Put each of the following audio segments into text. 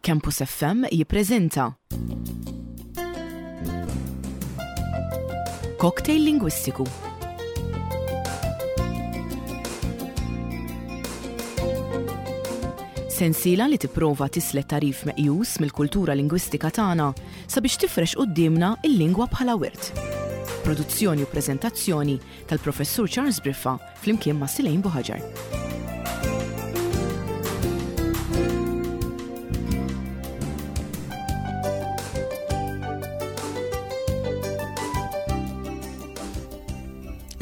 Campus FM jippreżenta Cocktail Lingwistiku. Sensiela li tipprova tislet tagħrif meqjus mill-kultura lingwistika tagħna sabiex tifrex quddiemna l-lingwa bħala wirt. Produzzjoni u preżentazzjoni tal-Professur Charles Briffa flimkien ma' Silejn Buħaġar.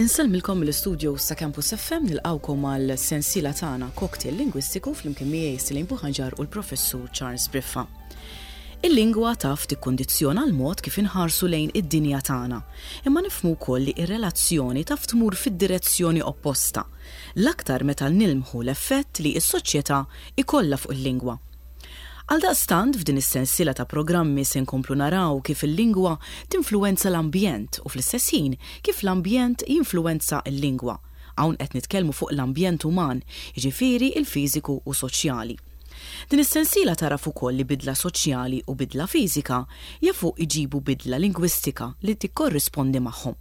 Insellmilkom mill-istudios ta' Campus FM nilqawkom għal sensiela tagħna Cocktail Lingwistiku flimkien miegħi Silejn Buħaġar u l-Professur Charles Briffa. Il-lingwa taf tikkundizzjona l-mod kif inħarsu lejn id-dinja tagħna, imma nifhmu wkoll li r-relazzjoni taf tmur fid-direzzjoni opposta, l-aktar meta nilmħu l-effett li s-soċjetà jkollha fuq il-lingwa. Għaldaqstant, f'din is-sensiela ta' programmi se nkomplu naraw kif il-lingwa tinfluwenza l-ambjent u fl-istess ħin kif l-ambjent jinfluwenza l-lingwa. Hawn qed nitkellmu fuq l-ambjent uman, jiġifieri l-fiżiku u soċjali. Din is-sensiela tagħraf ukoll li bidla soċjali u bidla fiżika jafu jġibu bidla lingwistika li tikkorrispondi magħhom.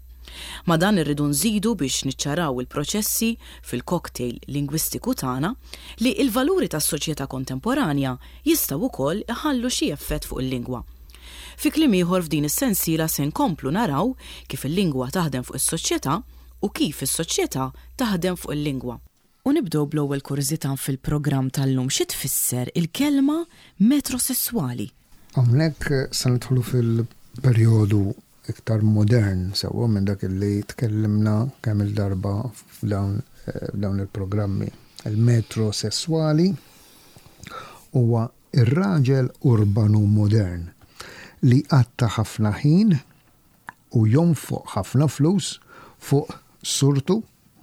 Ma' dan irridu nżidu biex niċċaraw il-proċessi fil-cocktail lingwistiku tagħna li l-valuri tas-soċjetà kontemporanja jistgħu wkoll iħallu xi effett fuq il-lingwa. Fi kliem ieħor f'din is-sensiela se nkomplu naraw kif il-lingwa taħdem fuq is-soċjetà u kif is-soċjetà taħdem fuq il-lingwa. U nibdew bl-ewwel kurżità fil-programm tal-lum, xi tfisser il-kelma metrosesswali? Hawnhekk se nidħlu fil-perjodu iktar modern sewwa minn dak li tkellimna kemm-il darba f'dawn il-programmi. Il-metrosesswali huwa r-raġel urbanu modern li jqatta' ħafna ħin u jonfoq ħafna flus fuq surtu,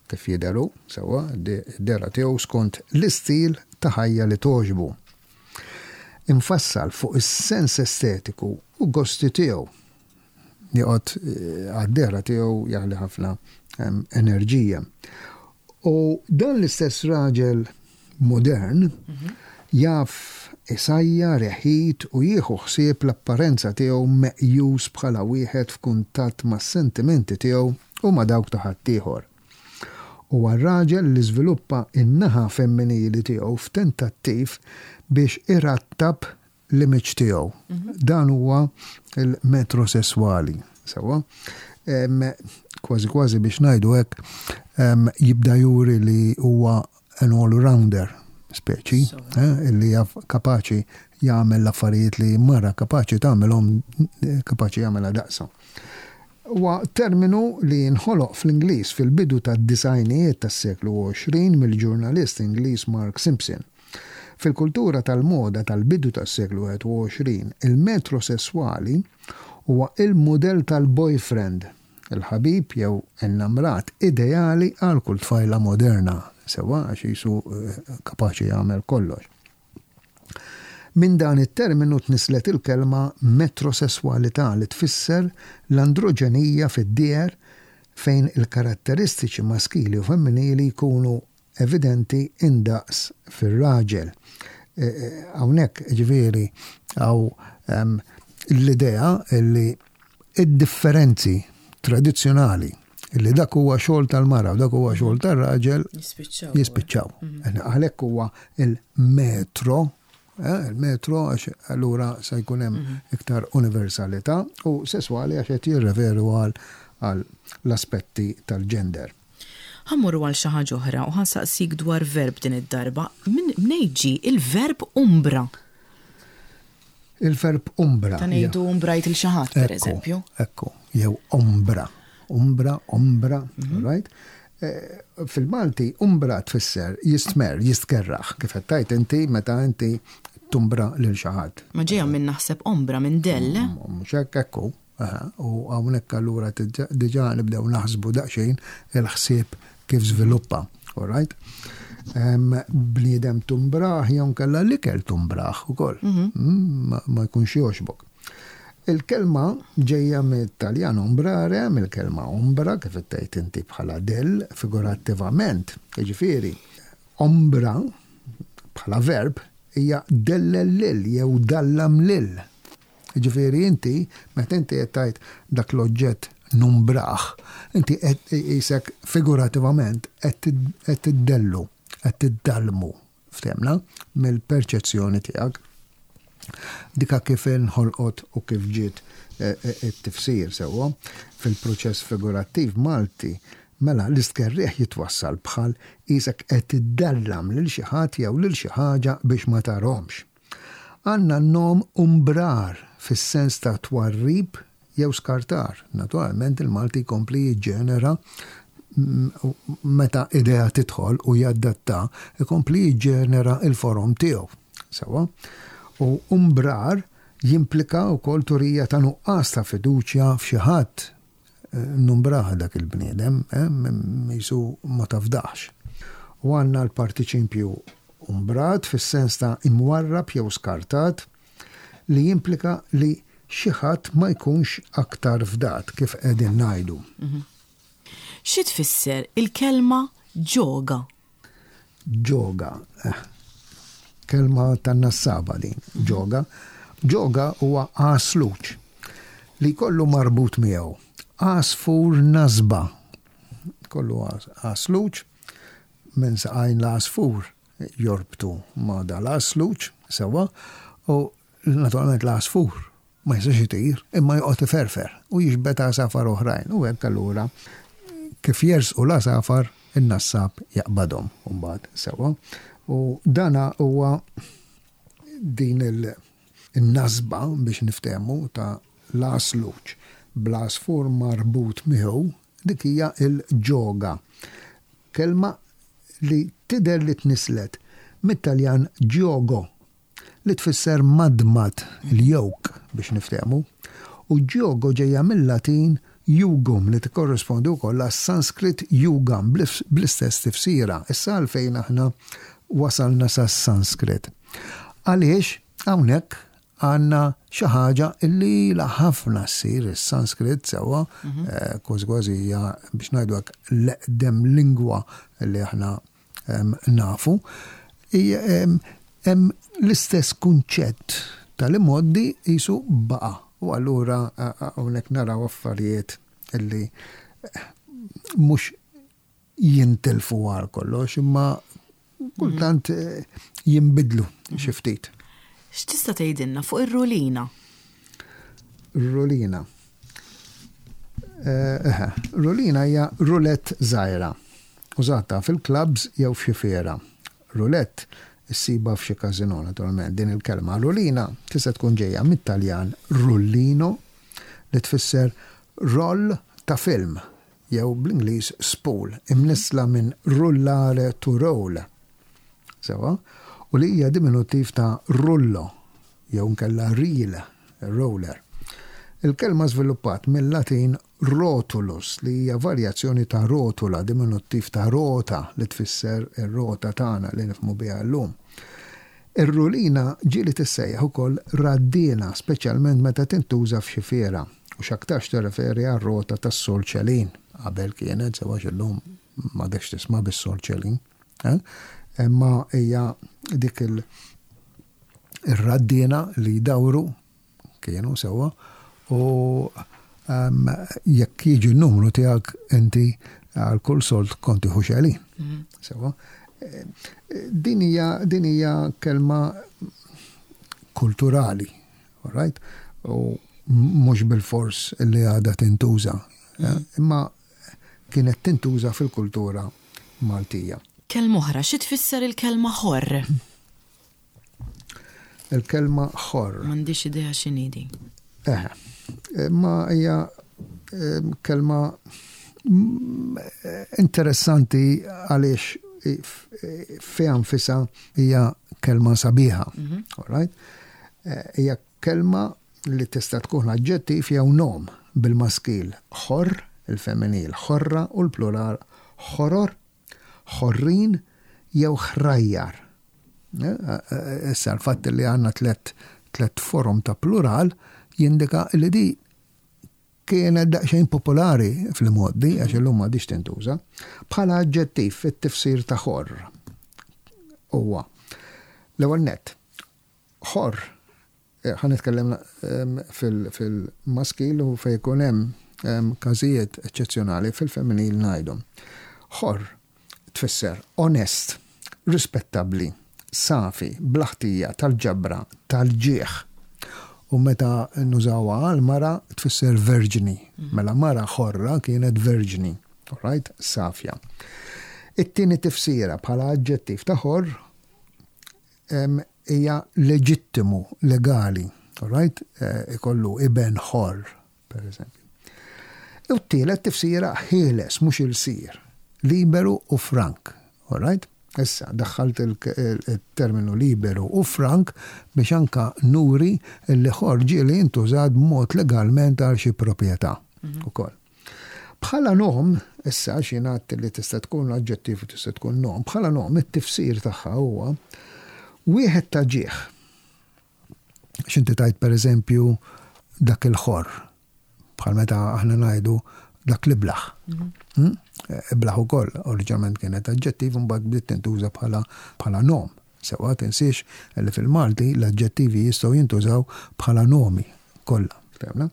kif jidher hu, sewwa, d-dehra tiegħu skont l-istil ta' ħajja li togħġbu. Imfassal fuq is-sens estetiku u gosti tiegħu. Joqgħod għad-dehra tiegħu jaħli ħafna enerġija. U dan l-istess raġel modern jaf isajjar, iħit u jieħu ħsieb l-apparenza tiegħu meqjus bħala wieħed f'kuntatt mas-sentimenti tiegħu u ma' dawk ta' ħaddieħor. Huwa r-raġel li żviluppa n-naħa femminili tiegħu f'tentattiv biex irattab l-image tiegħu. Dan huwa l-metrosesswali, sewwa. Kważi kważi biex ngħidu hekk jibda juri li huwa an all-rounder speċi, eh, li jaf kapaċi jagħmel l-affarijiet li mara kapaċi tagħmelhom kapaċi jagħmilha daqsa. Huwa terminu li nħoloq fl-Ingliż fil-bidu tad-disgħinijiet tas-seklu 20 mill-ġurnalist Ingliż Mark Simpson. Fil-kultura tal-moda tal-bidu tas-seklu 21, il-metrosesswali huwa il-mudell tal-boyfriend, il-ħabib jew innamrat ideali għal kull tfajla moderna, sewwa għax qisu kapaċi jagħmel kollox. Minn dan it-terminu tnisslet il-kelma metrosesswalità li tfisser l-androġenija fid-dieher fejn il-karatteristiċi maskili u femminili jkunu evidenti indaqs fir-raġel. Hawnhekk ġifieri hawn l-idea li id-differenzi tradizzjonali li dak huwa xogħol tal-mara u dak huwa xogħol tar-raġel jispiċċaw. Mhm. Għalhekk huwa il-metro, eh, il-metro għax allura se jkun hemm mhm. iktar universalità u sesswali għax qed jirreferu għal l-aspetti tal-ġender. Ħa mmorru għal xi ħaġa oħra u ħa nsaqsik dwar verb din id-darba. Mnejn ġie il-verb umbra? Il-verb umbra. Ta' ngħidu umbrajt il xi ħadd, pereżempju. Ekku, jew ombra. Umbra, ombra, mhm. right? Eh, fil-Malti, umbra tfisser jistmer, jistkerraħ, kif qed tgħid inti meta inti tumbra lil xi ħadd. Ma ġejja minn naħseb ombra minn dell. Eh? Mm, mhux hekk ekku. U hawnhekk allura diġà nibdew naħsbu daqsxejn il-ħsieb kif żviluppa. All right? Bniedem tumbraħ jew kella l-ikel tumbraħ ukoll. Mhm. Mm, ma jkunx jogħġbok. Il-kelma ġejja mit-Taljan ombrare, mill-kelma ombra, kif tgħid inti bħala del, figurattivament, jiġifieri, ombra bħala verb. hija dellel lil jew dallam lil. Jiġifieri inti, meta inti qed tgħid dak l-oġġett numbrah, inti qed qisek figurativament qed tiddellu, qed tiddallmu, ftehmna, mill-perċezzjoni tiegħek. Dika kif inħolqot u kif ġiet it-tifsir sewwa fil-proċess figurattiv Malti, mela l-istkerrieħ jitwassal bħal qisek qed tiddallam lil xi ħadd jew lil xi ħaġa biex ma tarhomx. Għandna n-nom umbrar fis-sens ta' twarrib jew skartar. Naturalment il-Malti jkompli jiġġenera meta idea tidħol u jadatta, ikompli jiġġenera l-forom tiegħu. Sewwa? U umbrar jimplika wkoll turija ta' nuqqas ta' fiduċja f'xi ħadd. Numbraha dak il-bniedem, qisu ma tafdax. U għandna l-partiċipju umbrat fis-sens ta' imwarrab jew skartat li jimplika li xi ħadd ma jkunx aktar fdat, kif qegħdin ngħidu. Xi tfisser il-kelma ġoga? Ġoga. Eh, kelma tan-nassaba din, ġoga. Ġoga huwa għasluċ li jkollu marbut miegħu għasfur nasba. Kollu għasluċ minn saqajn l-għasfur jorbtu ma' dal-għasluċ sewwa u naturalment l-għasfur ma jistax itir, imma joqgħod iferfer u jiġbed għasafar oħrajn u hekk allura kif jersqu l-għasafar in-nassab jaqbadhom mbagħad sewwa. U dana huwa din il-nasba biex niftehmu ta' l-għasluġ bl-għasfur marbut miegħu dik hija l-ġoga. Kelma li tidher li tnisslet mit-Taljan giogo li tfisser madmad, il-yolk biex niftehmu, u giogo ġejja mil-Latin jugum li tikkorrispondi wkoll għas-Sanskrit yugam bl-istess tifsira. Issa għalfejn aħna wasalna sas-Sanskrit? Għaliex hawnhekk għandna xi ħaġa li ilha ħafna ssir, is-Sanskrit sewwa, kważi kważi hija biex ngħidu hekk l-eqdem lingwa li aħna nafu, hemm l-istess kunċett tal-imgħoddi qisu baqa'. U allura hawnhekk naraw affarijiet li mhux jintilfu għal kollox, imma kultant jinbidlu xi ftit. X'tista' tgħidilna fuq ir-rulina? Rulina. Eh, rulina hija rulett żgħira, użata fil-clubs jew f'xi fiera. Rulett issibha f'xi każinò naturalment. Din il-kelma rulina tista' tkun ġejja mit-Taljan rullino li tfisser roll ta' film jew bl-Ingliż spool, imnissla minn rullare to roll. Sewwa? U li hija diminuttiv ta' rullo jew inkella reel, roller. Il-kelma żviluppat mil-Latin rotulus li hija varjazzjoni ta' rotula, diminuttiv ta' rota li tfisser ir-rota tagħna li nifhmu biha llum. Ir-rulina ġieli tissejjaħ ukoll raddiena, speċjalment meta tintuża f'xi fiera, u x'aktarx tirreferi għar-rota tas-solċelin, qabel kienet, sew għax illum m'għadekx tisma' bis-solċelin. Imma hija dik il-raddiena li jdawru kienu sewwa u jekk jiġi n-numru tiegħek inti għal kull sold kont tieħu xelin. Mhm. Sewwa. Din hija din hija kelma kulturali, all right? U mhux bil-fors li għadha tintuża. Mhm. Imma kienet tintuża fil-kultura Maltija. Kelma oħra, xi tfisser il-kelma ħorr? Il-kelma ħorr. M'għandix idea x'inhi din. Eħe. Ma hija kelma interessanti għaliex fiha nfisha hija kelma sabiħa. Mhm. All right? Hija Kelma li tista' tkun aġġettiv jew nom, bil-maskil ħorr, il-femminil ħorra u l-plural ħoror, ħorrin jew ħrajjar. Issa l-fatt li għandna tlett forom ta' plural jindika li di kienet daqsxejn popolari fl-imgħoddi, għax illum m'għadhiex tintuża, bħala aġġettiv fit-tifsir ta' ħorr. Huwa l-ewwel nett. Ħorr, ħa nitkellem fil-maskil u fejn ikun hemm każijiet eċċezzjonali fil-femminil ngħidhom. Ħorr tfisser onest, rispettabbli, safi, bla ħtija, tal-ġabra, tal-ġieħ. U meta nużawha għal mara tfisser verġni. Mela mara ħorra kienet verġni, alright, safja. It-tieni tifsira bħala aġġettiv ta' ħorr hija leġittimu, legali, alright, ikollu iben ħorr, per eżempju. U t-tielet tifsira ħieles, mhux ilsir, liberu u frank, alright? Issa, daħħalt il-terminu liberu u frank biex anka nuri li ħorr ġieli intużat b'mod legalment għal xi proprjetà ukoll. Bħala nom, issa għax jien għedt li tista' tkun aġġettiv u tista' tkun nom, bħala nom it-tifsir tagħha huwa wieħed ta' ġieħ. X'inti tgħid pereżempju dak il-ħorr, bħal meta aħna ngħidu dak l-iblaħ. Hmm? Iblaħ ukoll oriġinalment kienet aġġettiv imbagħad bdiet tintuża bħala bħala nom. Sewwa tinsiex li fil-Malti l-aġġettivi jistgħu jintużaw bħala nomi kollha. Fehmna?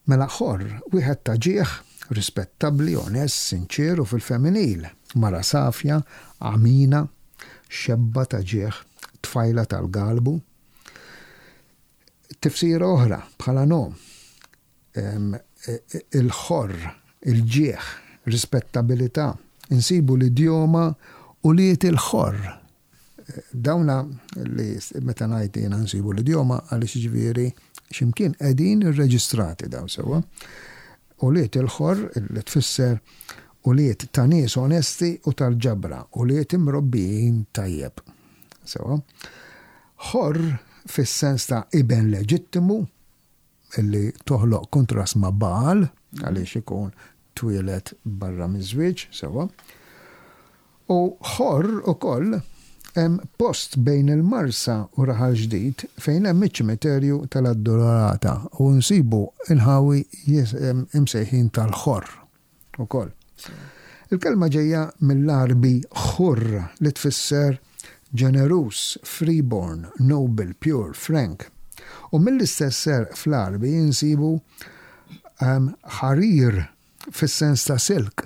Mela ħorr, wieħed ta' ġieħ, rispettabbli, onest, sinċier u fil-femminil, mara safja, għamina, xebba ta' ġieħ, tfajla tal-galbu. Tifsira oħra bħala nom, il-ħorr, il-ġieħ, rispettabilità. Insibu l-idjoma ulied il-ħorr. Dawna li meta ngħid jiena nsibu l-idjoma għaliex jiġifieri x'imkien qegħdin irreġistrati dawn sewwa. Ulied il-ħorr li tfisser ulied ta' nies onesti u tal-ġabra, ulied imrobbijin tajjeb. Sewwa. Ħorr fis-sens ta' iben leġittimu, li toħloq kuntrast ma' Bagħal, għaliex ikun twieled barra miż-żwieġ, sewwa. U Ħorr ukoll hemm post bejn il-Marsa u Raħal Ġdid fejn hemm iċ-ċimiterju tal-Addolorata u nsibu inħawi imsejħin tal-Ħorr. ukoll. Il-kelma ġejja mill-Għarbi ħurr li tfisser ġeneruż, freeborn, noble, pure, frank. U mill-istess għerq fl-Għarbi insibu ħarir fis-sens ta' silk.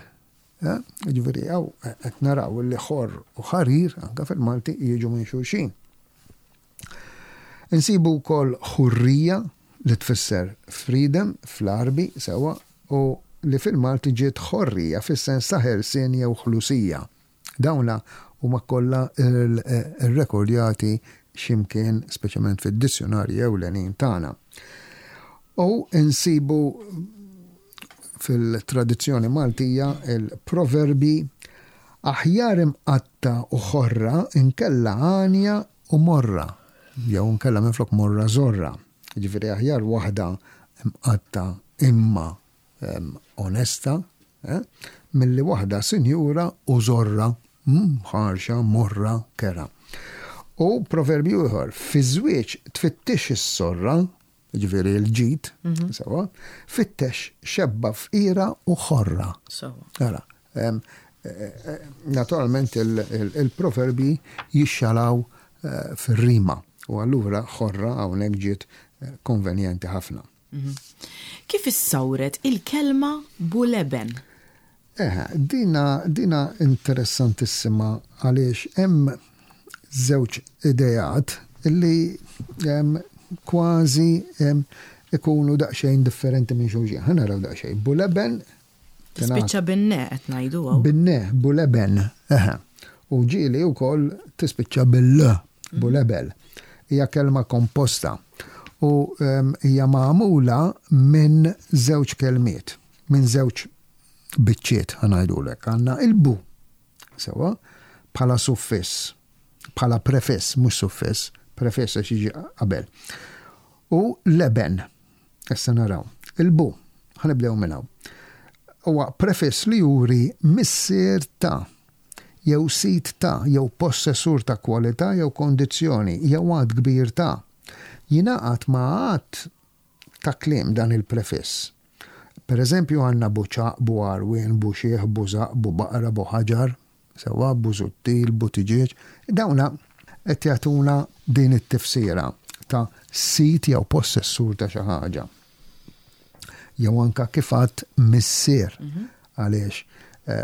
Jiġifieri hawn qed naraw li ħorr u ħarir anke fil-Malti jiġu minn xulxin. Insibu wkoll ħurrija li tfisser freedom fl-Għarbi sewwa u li fil-Malti ġiet ħorrija fis-sens ta' ħelsien jew ħlusija. Dawna huma kollha rrekordjati xi mkien speċjalment fid-dizzjunarji ewlenin tagħna. U nsibu fil-tradizzjoni Maltija l-proverbi aħjar imqatta' u ħorra inkella għanja u morra, jew inkella minflok morra żorra. Jiġifieri aħjar waħda mqatta' imma onesta milli waħda sinjura u żorra, ħarxa, morra, kerha. U proverbju ieħor, fiż-żwieġ tfittixx is-sorra, Jiġifieri l-ġid, mhm. sewwa, fittex xebba fqira u ħorra. Ara, eh, eh, naturalment il-proverbi jixxalaw eh, fir-rima u allura ħorra hawnhekk ġiet konvenjenti ħafna. Mhm. Kif issawret il-kelma buleben? Eħe, dina, dina interessantissima għaliex hemm żewġ ideat li kważi ikunu daqsxejn differenti minn xulxin. Ħa naraw daqsxejn. Buleben Tispiċċa bin-ne qed ngħidu hawn. Bin-ne, buleben, eħe. U ġieli wkoll tispiċċa bil-l, mhm. bulebel. Hija kelma komposta u hija magħmula minn żewġ kelmiet. minn żewġ biċċiet ħa ngħidulek. Għandna il-bu, sewwa, bħala suffiss, bħala prefiss, mhux suffiss, prefiss għax jiġi qabel. U leben, issa naraw. Il-bu, ħa nibdew minn hawn. Huwa prefiss li juri missier ta' jew sid ta' jew possessur ta' kwalità jew kondizzjoni jew għadd kbir ta'. Jingħaqad ma' għadd ta' kliem dan il-prefiss. Per eżempju għandna buċaq, bugħarwien, buxiħ, bużaq, bubaqra, buħaġar, sewwa, bużuttil, butiġieġ. Dawna qed jagħtuna din it-tifsira ta' sid jew possessur ta' xi ħaġa. Jew anka kif għadt missier. Għaliex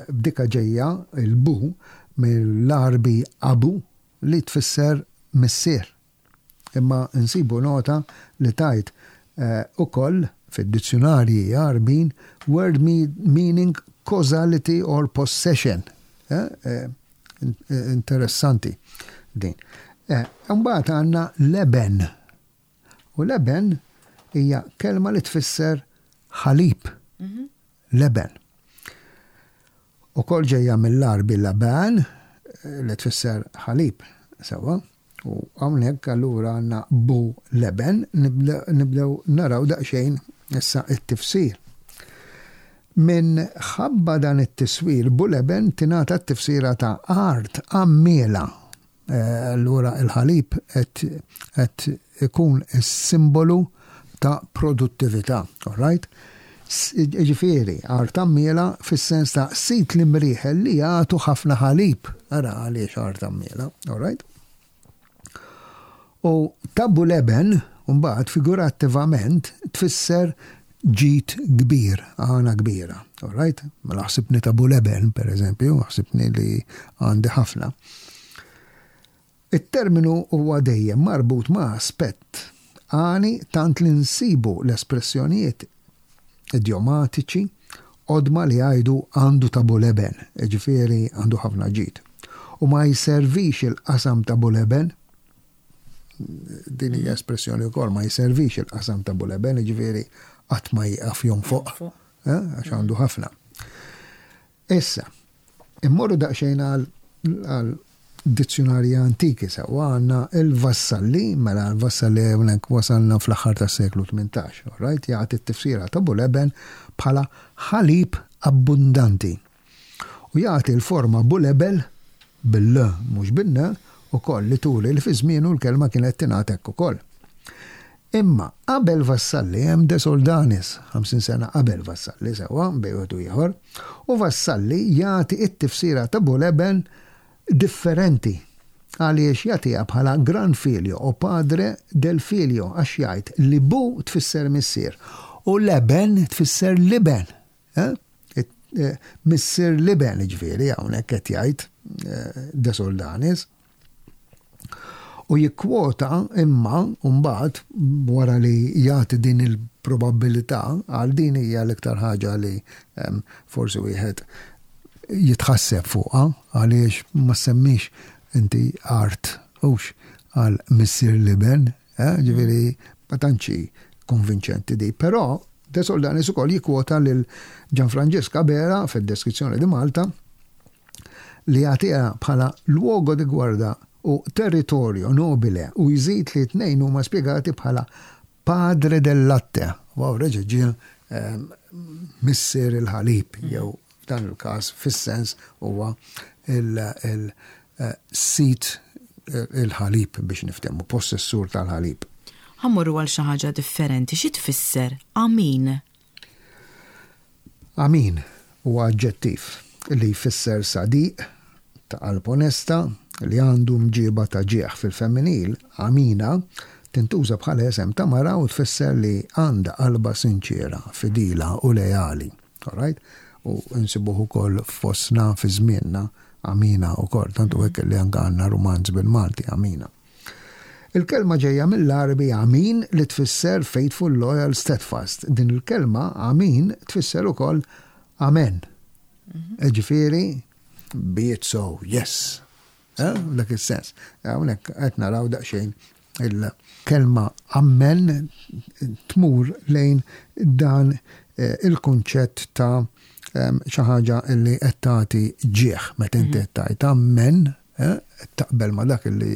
b'dika ġejja il-bu mill-Għarbi abu li tfisser missier. Imma nsibu nota li tgħid ukoll fid-dizzjunarji Għarbin word meaning causality or possession. Interessanti din. Imbagħad għandna leben. U leben hija kelma li tfisser ħalib. Leben. Ukoll ġejja mill-Għarbi laban li tfisser ħalib, sewwa. U hawnhekk allura għandna bu leben, nibdew naraw daqsxejn issa t-tifsir. Minħabba dan it-tiswir bu leben tingħata t-tifsira ta' art għammiela. Allura il-ħalib qed ikun is-simbolu ta' produttività, all right? Ġifieri, art għammiela fis-sens ta' sid l-imrieħel li jagħtu ħafna ħalib. Ara għaliex art għammiela, all right? U tabu leben, mbagħad figurattivament tfisser ġid kbir, għana kbira. All right? Mela ħsibni tabu leben, per eżempju, ħsibni li għandi ħafna. It-terminu huwa dejjem marbut ma' aspett għani tant li nsibu l-espressjonijiet idjomatiċi qodma li jgħidu għandu tabu leben, jiġifieri għandu ħafna ġid. U ma jservix il-qasam tabu leben, din hija espressjoni wkoll, ma jservix il-qasam ta' Buleben, jiġifieri qatt ma jieqaf jonfoq, eh, għax għandu ħafna. Issa, immorru daqsxejn għal dizzjonarji antiki sewwa għandna il-Vassalli, mela l-Vassalli hawnhekk wasalna fl-aħħar tas-seklu 18, all right, jagħti t-tifsira ta' Buleben bħala ħalib abbundanti. U jagħti l-forma bulebel, bil-l mhux bin-n, ukoll li turi li fi żmienu l-kelma kienet tingħad hekk ukoll. Imma qabel Vassalli hemm De Soldanis, 50 sena qabel Vassalli sewwa, bejn wieħed u ieħor, u Vassalli jagħti t-tifsira ta' buleben differenti għaliex jagħtiha bħala gran figlio o padre del figlio għax jgħid li bu tfisser missier u leben tfisser l-iben. Eh? Eh, missier l-iben ġifieri hawnhekk qed jgħid eh, De Soldanis. U jikkwota imma mbagħad wara li jagħti din il-probabilità għal din hija l-iktar ħaġa li ehm, forsi wieħed jitħasseb fuqha għaliex ma semmix inti art hux għal missier l-iben Eh, ġifieri ma tantx konvinċenti di, però De Soldanis ukoll jikkwota lil Gianfrancesca Bera fid-deskrizzjoni di Malta li jagħtiha bħala luogo di guarda u territorio nobile u jżid li t-tnejn huma spjegati bħala padre del latte. Wow, reġa' ġie ehm, missier il-ħalib jew F'dan il-każ, fis-sens huwa il-sid il-ħalib biex niftehmu, possessur tal-ħalib. Ħa mmorru għal xi ħaġa differenti, xi tfisser amin? Amin huwa aġġettiv li jfisser sadiq, ta' qalb onesta, li għandu mġiba ta' ġieħ. Fil-femminil, amina tintuża bħala isem ta' mara u tfisser li għandha qalbha sinċiera, fidila u leali. All right? U nsibuh ukoll fostna fi żmienna Amina ukoll, tant hu hekk li anke għandna rumanz bil-Malti Amina. Il-kelma ġejja mill-Għarbi amin li tfisser faithful, loyal, steadfast. Din il-kelma amin tfisser ukoll amen. Mhm. Ġifieri, be it so, yes. Eh, dak is-sens. Hawnhekk qed naraw daqsxejn il-kelma ammen tmur lejn dan eh, il-kunċett ta' xi ħaġa li qed tagħti ġieħ meta inti mhm. qed tgħid ammen eh, taqbel ma' dak li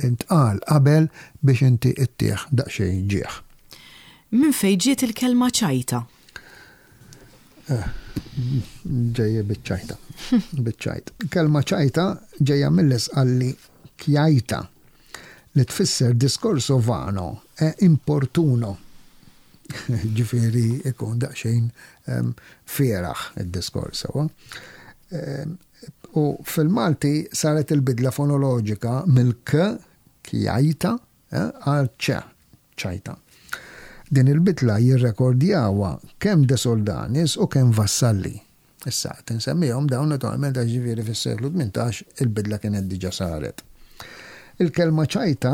intqal qabel biex inti ittieħ daqsxejn ġieħ. Minn fejn ġiet il-kelma ċajta? Eh, ġejja biċ-ċajta. Biċ-ċajt. Kelma ċajta ġejja mill-isqalli kjajta li tfisser discorso vano e importuno. Ġifieri ikun daqsxejn ehm, fieraħ id-diskors sewa. Ehm, U fil-Malti saret il-bidla fonoloġika mill-k, kjajta, eh, għal ċ, ċajta. Din il-bidla jirrekordjawha kemm De Soldanis u kemm Vassalli. Issa, qed insemmihom dawn naturalment għax ġifieri fis-seklu 18 il-bidla kienet diġà saret. Il-kelma ċajta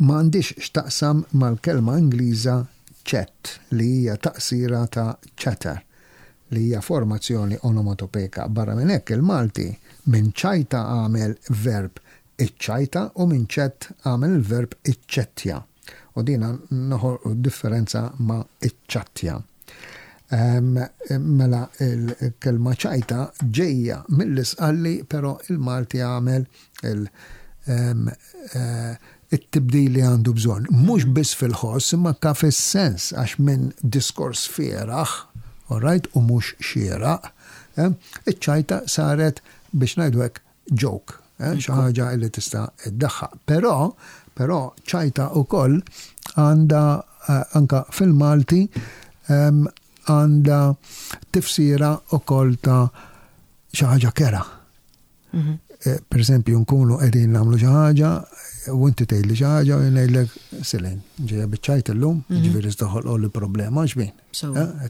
ma għandhiex x'taqsam mal-kelma Ingliża chat li hija taqsira ta' chatter li hija formazzjoni onomatopejka. Barra minn hekk il-Malti minn ċajta għamel verb iċċajta u minn chat għamel il-verb iċċettja. U dina noħolqu differenza ma' iċċattja. Mela il-kelma ċajta ġejja mill-Isqalli però il-Malti għamel eh, it-tibdil li għandu bżonn. Mhux biss fil-ħoss imma ka fis-sens għax minn diskors fieraħ, all right, u mhux xieraq, eh, iċ-ċajta saret biex ngħidu hekk joke, eh, xi ħaġa li tista' iddaħħaq. Però, però ċajta wkoll għandha eh, anka fil-Malti ehm, għandha tifsira wkoll ta' xi ħaġa kera. Mhm. Eh, per eżempju, nkunu qegħdin nagħmlu xi ħaġa u inti tgħidli xi ħaġa u ngħidlek Silin, ġejja biċċajt illum, mhm. ġifieri toħolqu li problema xbin.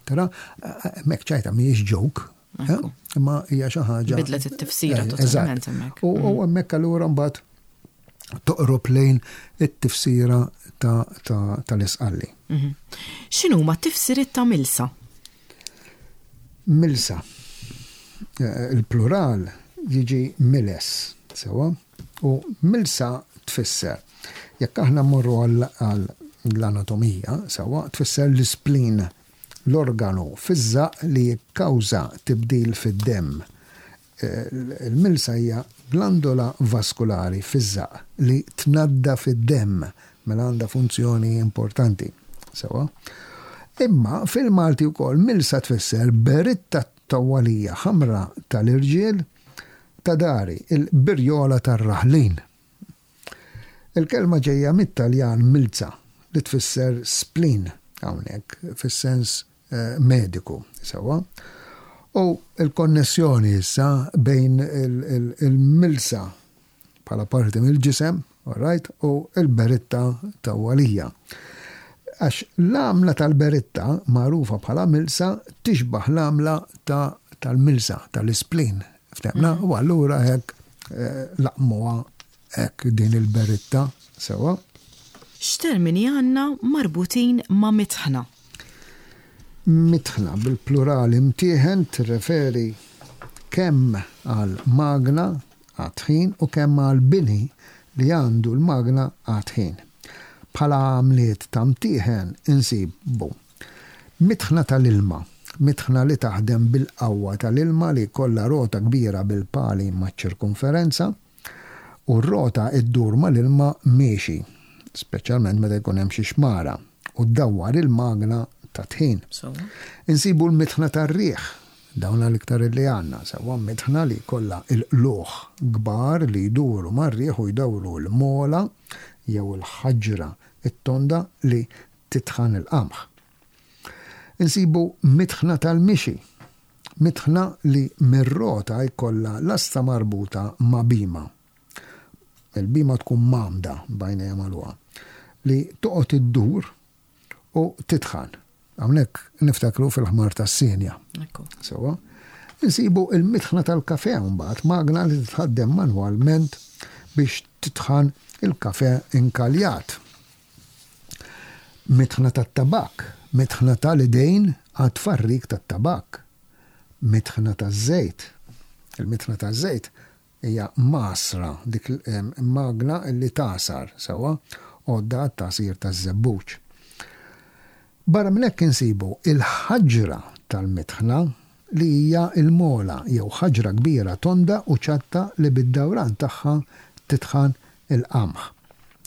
Tara, hemmhekk ċajta mhijiex joke, Imma hija xi ħaġa. Bidlet it-tifsira eh, totalment hemmhekk. U mm. hemmhekk allura mbagħad toqrob lejn it-tifsira tal-isqalli. Mhm. X'inhuma t-tifsiriet ta' milsa? Milsa. Eh, il-plural jiġi miles, sewa, u milsa tfisser. Jekk aħna mmorru għall-anatomija, sewa, tfisser l-isplin l-organu fiż-żaqq li jikkawża tibdil fid-demm. Il-milsa hija glandola vaskulari fiż-żaqq li tnaddaf id-demm, mela għandha funzjoni importanti. Sewwa? Imma fil-Malti wkoll milsa tfisser beritta tawwalija ħamra tal-irġiel ta' dari, il-birjola tar-raħlin. Il-kelma ġejja mit-Taljan milza li tfisser spleen hawnhekk fis-sens mediku, sewwa. U l-konnessjoni issa bejn il-milsa bħala parti mill-ġisem, all right, u l-beritta tawwalija. Għax l-għamla tal-beritta, magħrufa bħala milsa, tixbah l-għamla tal-milsa, tal-ispleen, Ftemna? U allura hekk eh, laqmuha hekk din il-beritta sewa. X'termini għandna marbutin ma' mitħna? Mitħna bil-plurali mtieħen tirreferi kemm għal magna għat-tħin u kemm għal bini li għandu l-magna għat-tħin. Bħala għamliet ta' mtieħen insibu Mitħna tal-ilma, mitħna li taħdem bil-qawwa tal-ilma li jkollha rota kbira bil-pali maċ-ċirkunferenza u r-rota ddur mal-ilma miexi, speċjalment meta jkun hemm xi xmara, u ddawwar il-magna tat-tħin. Insibu l-mitħna tar-riħ, dawn l-iktar li għandna, sewwa mitħna li jkollha l-qlugħ kbar li jduru mar-riħ u jdawru l-mola jew il-ħaġra t-tonda li titħan il-qamħ. Insibu mitħna tal-mixi, mitħna li mir-rota jkollha lasta marbuta ma' bhima. Il-bhima tkun mgħammda b'għajnejha magħluqa, li toqgħod iddur u titħan. Hawnhekk niftakru fil-ħmar tas-sienja. Sewwa. Insibu il-mitħna tal-kafè mbagħad, magna li titħaddem manwalment biex titħan il-kafè inkaljat. Mitħna tat-tabakk, mitħna ta' l-idejn għat-tfarrik tat-tabakk, mitħna taż-żejt. Il-mitħna taż-żejt hija magħsra, dik magna li tagħsar, sewwa, għodda għat-tagħsir taż-żebbuġ. Barra minn hekk insibu l-ħaġra tal-mitħna li hija l-mola jew ħaġra kbira tonda u ċatta li bid-dawran tagħha titħan il-qamħ.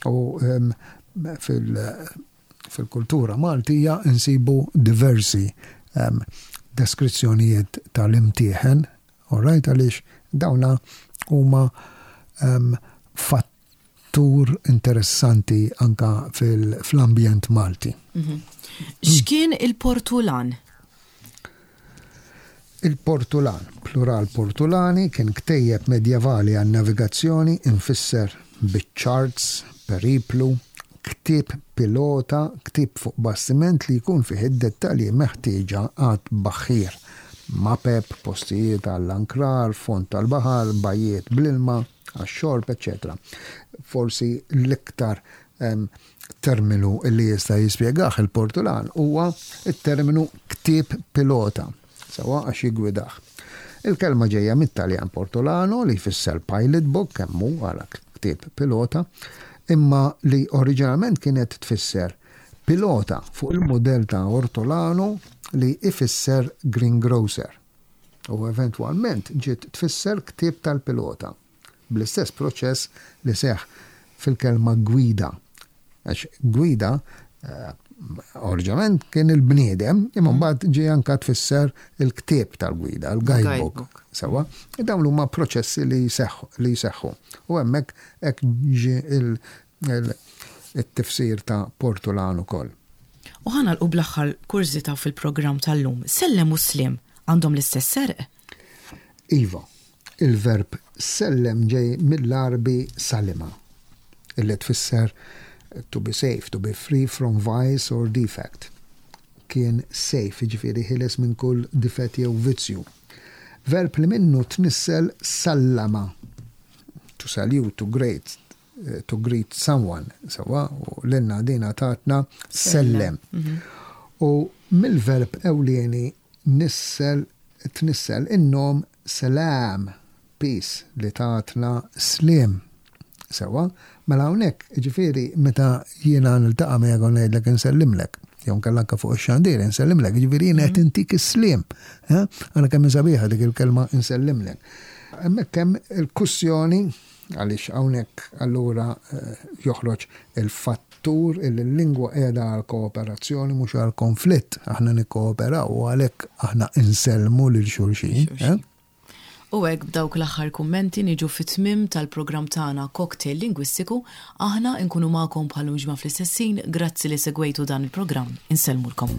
U fil-kultura Maltija nsibu diversi deskrizzjonijiet tal-imtieħen, all right, għaliex dawna huma fattur interessanti anka fl-ambjent Malti. Mhm. X'kien il-portulan? Il-Portulan, plural portulani, kien ktejjeb medjevali għan-navigazzjoni imfisser biċ-charts, periplu, ktieb pilota, ktieb fuq bastiment li jkun fih id-dettalji meħtieġa għat-tbaħħir, mapep, postijiet għall-ankrar, fond tal-baħar, bajjiet bl-ilma għax-xorb, eċċetera Forsi l-iktar terminu li jista' jispjegah il-Portulan huwa t-terminu ktieb pilota, sewwa għax jiggwidah. Il-kelma ġejja mit-Taljan portolano li jfisser pilot book, kemm hu għala ktieb pilota, imma li oriġinalment kienet tfisser pilota fuq il-mudell ta' ortolano li ifisser greengrocer u eventwalment ġiet tfisser ktieb tal-pilota. Bl-istess proċess li seħħ fil-kelma gwida. Għax gwida eh, oriġinalment kien il-bniedem, imma mbagħad ġie anka tfisser il-ktieb tal-gwida, il-guidebook. Sewa, dawn huma proċessi li jseħħu. U hemmhekk hekk ġie il-tifsir ta' portulan ukoll. U ħa nagħlqu bl-aħħar kurżità fil-programm tal-lum. Sellem u sliem għandhom l-istess serq? Iva. Il-verb sellem ġej mill-Għarbi salima, illi tfisser to be safe, to be free from vice or defect. Kien safe, jiġifieri ħieles minn kull difett jew vizzju. Verb li minnu tnissel sallama, to salute, to greet, to greet someone, sewwa, u lilna dina tatna sellem. U mill-verb ewlieni nissel, tnissel in-nom selam, peace, li tatna sliem. Sewwa, mela hawnhekk, jiġifieri meta jiena niltaqa' miegħek u ngħidlek insellimlek, jew inkella anke fuq ix-xandir insellimlek, jiġifieri jiena qed intik is-sliem. Ara kemm hi sabiħa dik il-kelma insellimlek. Hemmhekk hemm il-kussjoni Għaliex hawnhekk allura joħroġ il-fattur illi l-lingwa qiegħda għall-kooperazzjoni mhux għall-konflitt. Aħna nikkooperaw u għalhekk aħna insellmu lil xulxin. Eh? U hekk b'dawk l-aħħar kummenti niġu fit-tmiem tal-programm tagħna Cocktail Lingwistiku. Aħna nkunu magħkom bħal ġimgħa fl-istess ħin. Grazzi li segwejtu dan il-programm. Insellmulkom.